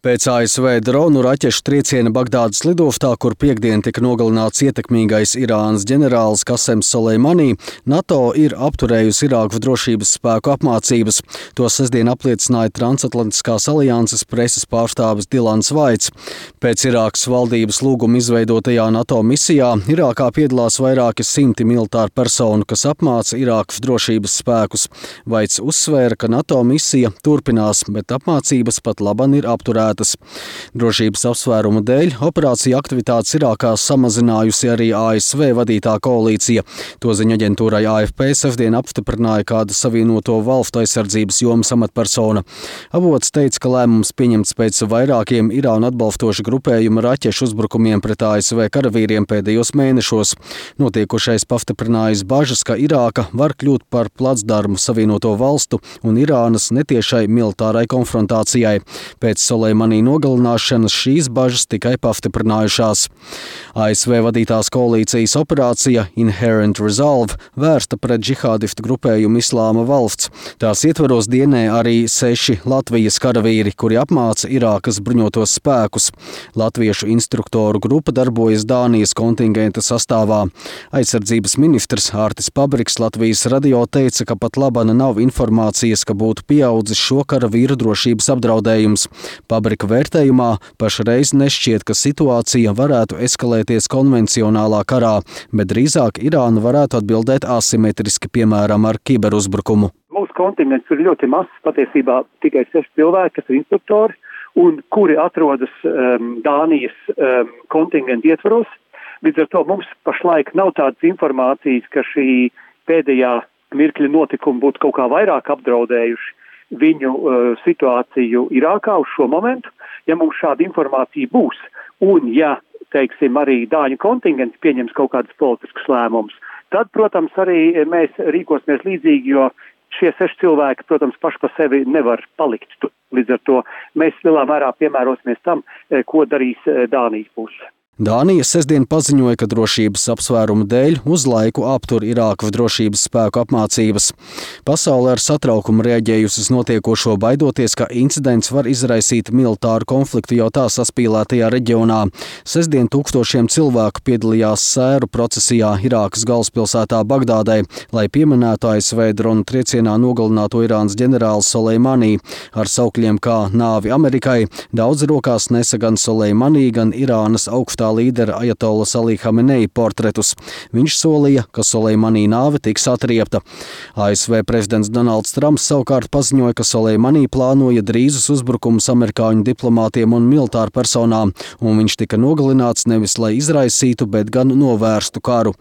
Pēc ASV dronu raķešu trieciena Bagdādas lidoftā, kur piektdien tika nogalināts ietekmīgais Irānas ģenerālis Kasems Soleimani, NATO ir apturējusi Irākas drošības spēku apmācības. To sestdien apliecināja Transatlantiskās alianses preses pārstāvis Dilans Vaits. Pēc Irākas valdības lūguma izveidotajā NATO misijā Irākā piedalās vairāki simti militāru personu, kas apmāca Irākas drošības spēkus. Vaits uzsvēra, ka NATO misija turpinās, bet apmācības pat laban ir apturētas. Drošības apsvērumu dēļ operācija aktivitātes Irākā samazinājusi arī ASV vadītā koalīcija. To ziņu aģentūrai AFP sestdien apstiprināja kāda Savienoto Valstu aizsardzības jomas amatpersona. Avots teica, ka lēmums pieņemts pēc vairākiem Irānu atbalstošu grupējumu raķešu uzbrukumiem pret ASV karavīriem pēdējos mēnešos. Notiekošais pastiprinājis bažas, ka Irāka var kļūt par placdarmu Savienoto Valstu un Irānas netiešai militārai konfrontācijai. Pēc Soleimani nogalināšanas šīs bažas tikai pastiprinājušās. ASV vadītās koalīcijas operācija Inherent Resolve vērsta pret džihādistu grupējumu Islāma valsts. Tās ietvaros dienē arī 6 Latvijas karavīri, kuri apmāca Irākas bruņotos spēkus. Latviešu instruktoru grupa darbojas Dānijas kontingenta sastāvā. Aizsardzības ministrs Ārtis Pabriks Latvijas radio teica, ka pat labana nav informācijas, ka būtu pieaudzis šo karavīru drošības apdraudējums. Pabrika vērtējumā pašreiz nešķiet, ka situācija varētu eskalēties konvencionālā karā, bet drīzāk Irāna varētu atbildēt asimetriski, piemēram, ar kiberuzbrukumu. Mūsu kontingents ir ļoti mazs, patiesībā tikai 6 cilvēki, kas ir instruktori, un kuri atrodas Dānijas kontingenta ietvaros. Līdz ar to mums pašlaik nav tādas informācijas, ka šī pēdējā mirkļa notikumi būtu kaut kā vairāk apdraudējuši viņu situāciju Irākā uz šo momentu. Ja mums šāda informācija būs, un ja, teiksim, arī Dāņu kontingents pieņems kaut kādus politiskus lēmumus, tad, protams, arī mēs rīkosimies līdzīgi, jo šie 6 cilvēki, protams, paši pa sevi nevar palikt. Līdz ar to mēs lielā mērā piemērosimies tam, ko darīs Dānijas puse. Dānija sestdien paziņoja, ka drošības apsvērumu dēļ uz laiku aptur Irākas drošības spēku apmācības. Pasaule ar satraukumu reaģējusi uz notiekošo, baidoties, ka incidents var izraisīt militāru konfliktu jau tā saspīlētajā reģionā. Sestdien tūkstošiem cilvēku piedalījās sēru procesijā Irākas galvaspilsētā Bagdādai, lai pieminētu ASV dronu triecienā nogalināto Irānas ģenerāli Soleimani. Ar saukļiem kā nāvi Amerikai daudz rokās nesa gan Soleimani, gan Irānas augstā līdera Ajatolas Ali Hamenei portretus. Viņš solīja, ka Soleimani nāve tiks atriepta. ASV prezidents Donalds Trumps savukārt paziņoja, ka Soleimani plānoja drīzus uzbrukumus amerikāņu diplomātiem un militāru personām, un viņš tika nogalināts nevis lai izraisītu, bet gan novērstu karu.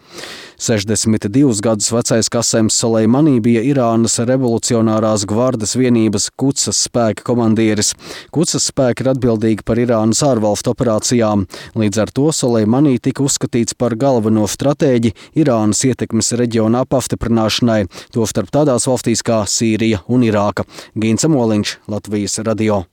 62 gadus vecais Kasems Soleimani bija Irānas revolucionārās gvardes vienības Kudsas spēka komandieris. Kudsas spēki ir atbildīgi par Irānas ārvalstu operācijām. Līdz ar to Soleimani tika uzskatīts par galveno stratēģi Irānas ietekmes reģionā pastiprināšanai, tostarp tādās valstīs kā Sīrija un Irāka. Gins Amoliņš, Latvijas radio.